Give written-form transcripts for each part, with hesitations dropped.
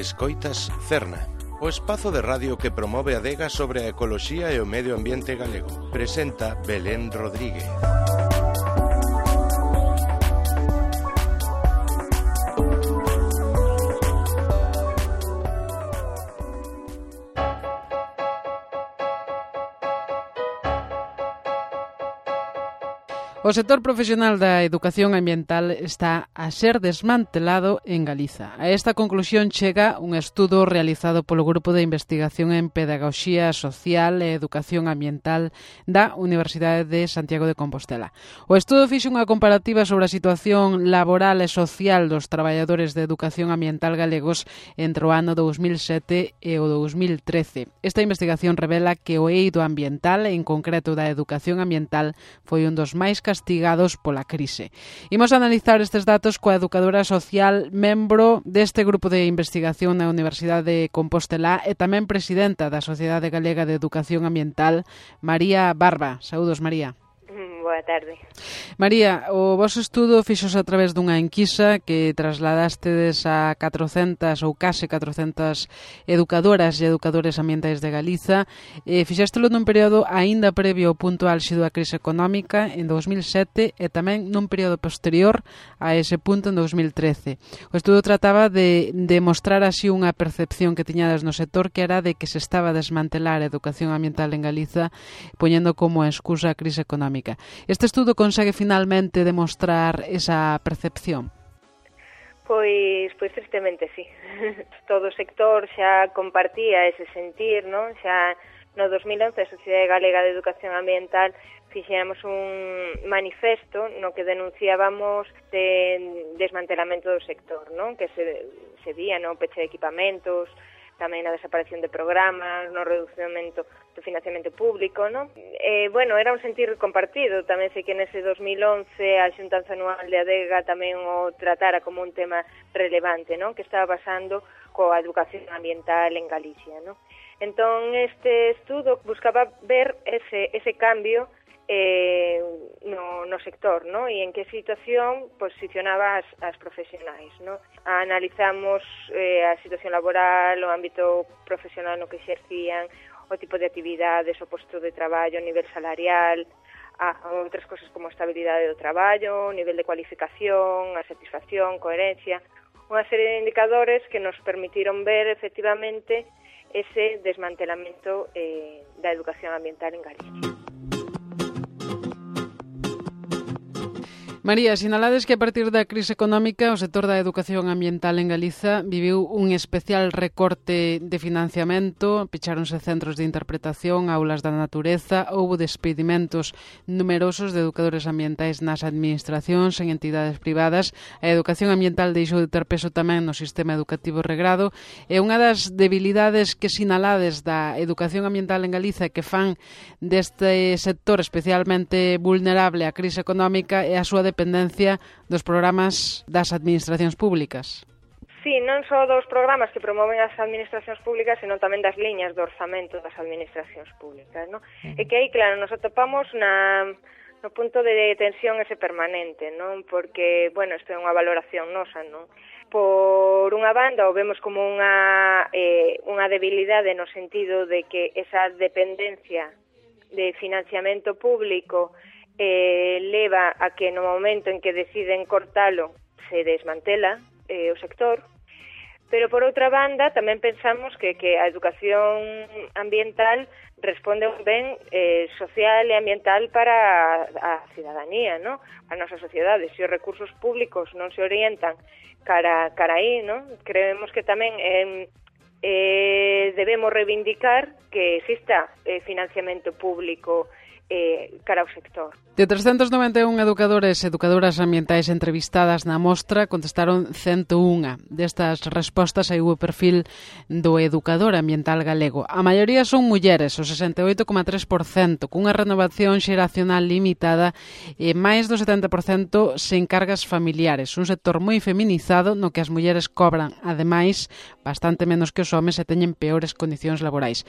Escoitas Cerna, o espazo de radio que promove a adega sobre a ecoloxía e o medio ambiente galego. Presenta Belén Rodríguez. O sector profesional da educación ambiental está a ser desmantelado en Galiza. A esta conclusión chega un estudo realizado polo Grupo de Investigación en Pedagogía Social e Educación Ambiental da Universidade de Santiago de Compostela. O estudo fixo unha comparativa sobre a situación laboral e social dos traballadores de educación ambiental galegos entre o ano 2007 e o 2013. Esta investigación revela que o eido ambiental, en concreto da educación ambiental, foi un dos máis castigados pola crise. Imos analizar estes datos coa educadora social, membro deste grupo de investigación na Universidade de Compostela e tamén presidenta da Sociedade Galega de Educación Ambiental, María Barba. Saúdos, María. Boa tarde. María, o vosso estudo fixose a través dunha enquisa que trasladastes a 400 ou case 400 educadoras e educadores ambientais de Galiza. Fixéstelo nun período aínda previo ao punto álxido da crise económica en 2007 e tamén nun período posterior a ese punto en 2013. O estudo trataba de demostrar así unha percepción que tiñades no sector, que era de que se estaba a desmantelar a educación ambiental en Galiza poñendo como excusa a crise económica. Este estudo consegue finalmente demostrar esa percepción? Pois tristemente sí. Todo o sector xa compartía ese sentir, non? Xa no 2011 a Sociedade Galega de Educación Ambiental fixéramos un manifesto no que denunciábamos de desmantelamento do sector, non? Que se vía no peche de equipamentos, tamén a desaparición de programas, no reducimento do financiamento público, non? Era un sentir compartido. Tamén sei que nese 2011 a xuntanza anual de Adega tamén o tratara como un tema relevante, non? Que estaba pasando coa educación ambiental en Galicia, non? Entón, este estudo buscaba ver ese cambio no sector, ¿no? E en que situación posicionaba as profesionais, ¿no? Analizamos a situación laboral, o ámbito profesional no que exercían, o tipo de actividades, o posto de traballo, o nivel salarial, outras cosas como a estabilidade do traballo, o nivel de cualificación, a satisfacción, coherencia, unha serie de indicadores que nos permitiron ver efectivamente ese desmantelamento da educación ambiental en Galicia. María, sinalades que a partir da crise económica o sector da educación ambiental en Galiza viviu un especial recorte de financiamento, pecháronse centros de interpretación, aulas da natureza, houbo despedimentos numerosos de educadores ambientais nas administracións, en entidades privadas. A educación ambiental deixou de ter peso tamén no sistema educativo regrado e unha das debilidades que sinalades da educación ambiental en Galiza que fan deste sector especialmente vulnerable á crise económica é a súa dependencia dos programas das administracións públicas. Sí, non só dos programas que promoven as administracións públicas, senón tamén das liñas de orzamento das administracións públicas, non? E que aí, claro, nos atopamos no punto de tensión ese permanente, non? Porque, isto é unha valoración nosa, non? Por unha banda, o vemos como unha debilidade no sentido de que esa dependencia de financiamento público leva a que no momento en que deciden cortalo se desmantela o sector, pero por outra banda tamén pensamos que a educación ambiental responde a un ben social e ambiental para a cidadanía, ¿no? A nosa sociedade. Se os recursos públicos non se orientan cara aí, ¿no? Creemos que tamén debemos reivindicar que exista financiamento público cara ao sector. De 391 educadores e educadoras ambientais entrevistadas na mostra, contestaron 101. Destas respostas aí o perfil do educador ambiental galego. A maioría son mulleres, o 68,3%, cunha renovación xeracional limitada e máis do 70% sen cargas familiares. Un sector moi feminizado no que as mulleres cobran, ademais, bastante menos que os homes e teñen peores condicións laborais.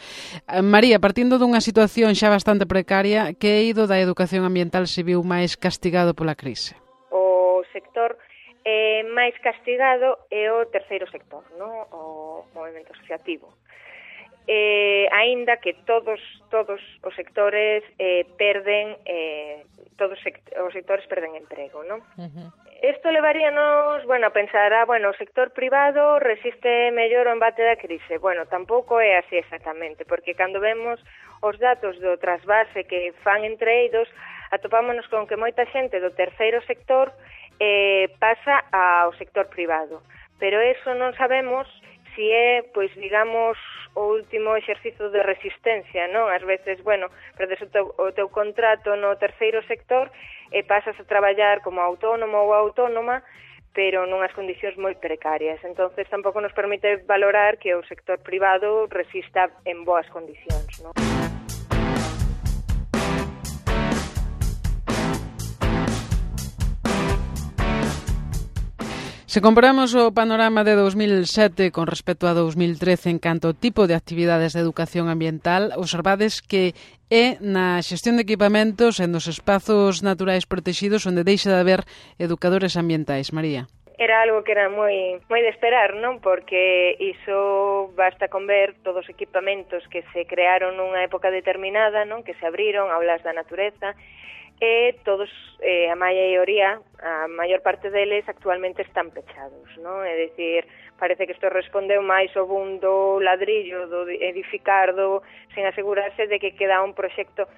María, partindo dunha situación xa bastante precaria, que eido da educación ambiental se viu máis castigado pola crise? O sector máis castigado é o terceiro sector, non? O movimento asociativo. Aínda que todos os sectores perden os sectores perden emprego, non? Isto levaríanos, a pensar, o sector privado resiste mellor o embate da crise. Tampouco é así exactamente, porque cando vemos os datos do trasvase que fan entre eidos, atopámonos con que moita xente do terceiro sector pasa ao sector privado. Pero eso non sabemos si é, digamos, o último exercicio de resistencia, non? Ás veces, perdes o teu contrato no terceiro sector e pasas a traballar como autónomo ou autónoma, pero nunhas condicións moi precarias. Entonces, tampouco nos permite valorar que o sector privado resista en boas condicións, non? Se comparamos o panorama de 2007 con respecto a 2013 en canto ao tipo de actividades de educación ambiental, observades que é na xestión de equipamentos e nos espazos naturais protegidos onde deixa de haber educadores ambientais. María. Era algo que era moi de esperar, non? Porque iso basta con ver todos os equipamentos que se crearon nunha época determinada, non? Que se abriron, aulas da natureza, e todos, a maioría, a maior parte deles actualmente están pechados, non? É dicir, parece que isto respondeu máis ao boom do ladrillo, do edificar, sen asegurarse de que queda un proxecto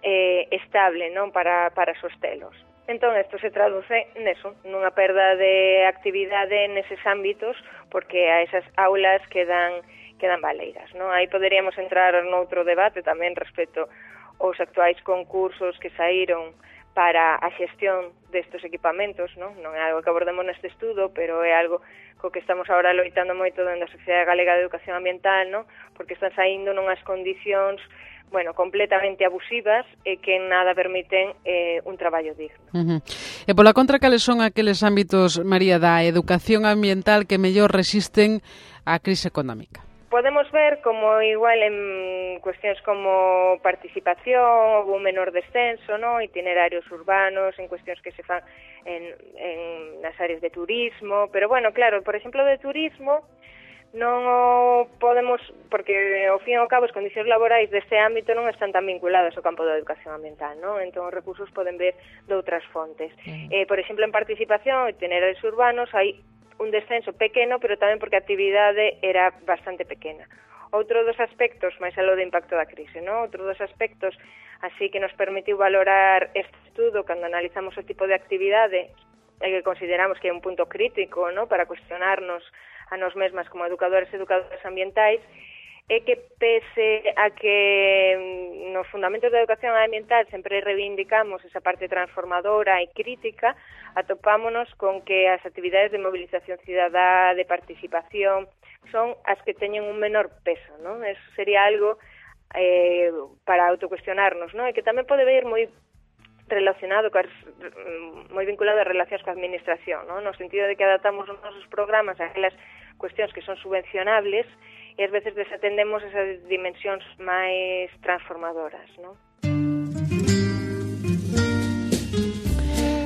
estable, non? Para sostelos. Entón, isto se traduce neso, nunha perda de actividade neses ámbitos, porque a esas aulas quedan baleiras, non? Aí poderíamos entrar noutro debate tamén respecto os actuais concursos que saíron para a xestión destes equipamentos, non é algo que abordemos neste estudo, pero é algo co que estamos agora loitando moito dentro da Sociedade Galega de Educación Ambiental, non? Porque están saindo nunhas condicións completamente abusivas e que nada permiten un traballo digno. E pola contra, cales son aqueles ámbitos, María, da educación ambiental que mellor resisten á crise económica? Podemos ver como igual en cuestións como participación ou un menor descenso, ¿no? Itinerarios urbanos, en cuestións que se fan en nas áreas de turismo, pero claro, por exemplo, de turismo non o podemos, porque ao fin e ao cabo as condicións laborais deste ámbito non están tan vinculadas ao campo da educación ambiental, non? Entón os recursos poden ver de outras fontes. Por exemplo, en participación, itinerarios urbanos, hai un descenso pequeno, pero tamén porque a actividade era bastante pequena. Outro dos aspectos, máis aló do impacto da crise, non? Outro dos aspectos así que nos permitiu valorar este estudo cando analizamos o tipo de actividade que consideramos que é un punto crítico, non? Para cuestionarnos a nos mesmas como educadoras e educadoras ambientais, é que pese a que nos fundamentos da educación ambiental sempre reivindicamos esa parte transformadora e crítica, atopámonos con que as actividades de movilización cidadá, de participación, son as que teñen un menor peso, non? Eso sería algo para autocuestionarnos, non? E que tamén pode ver moi relacionado, moi vinculado a relacións coa administración, non? No sentido de que adaptamos os nosos programas a aquelas cuestións que son subvencionables e ás veces desatendemos esas dimensións máis transformadoras, non?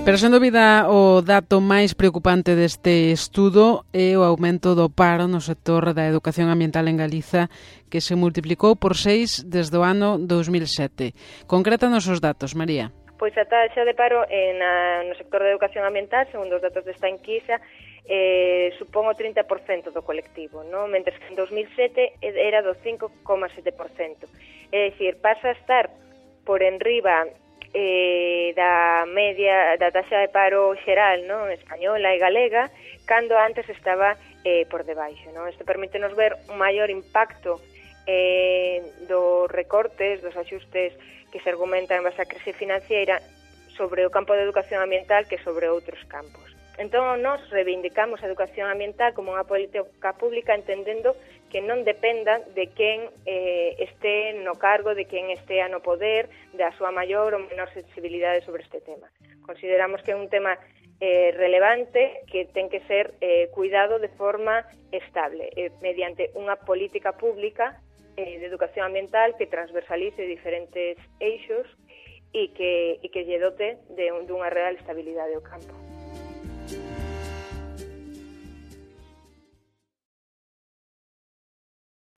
Pero, sen dúbida, o dato máis preocupante deste estudo é o aumento do paro no sector da educación ambiental en Galiza, que se multiplicou por 6 desde o ano 2007. Concrétanos os datos, María. Pois a taxa de paro no sector da educación ambiental, segundo os datos desta enquisa, supón o 30% do colectivo, non? Mentres que en 2007 era do 5,7%. É dicir, pasa a estar por enriba da media da taxa de paro xeral, non? Española e galega, cando antes estaba por debaixo, non? Isto permítenos ver un maior impacto dos recortes, dos axustes que se argumentan en base á crise financiera sobre o campo de educación ambiental que sobre outros campos. Entón, nós reivindicamos a educación ambiental como unha política pública entendendo que non dependa de quen este no cargo, de quen estea no poder, da súa maior ou menor sensibilidade sobre este tema. Consideramos que é un tema relevante que ten que ser cuidado de forma estable, mediante unha política pública de educación ambiental que transversalice diferentes eixos e que lle dote dunha real estabilidade ao campo.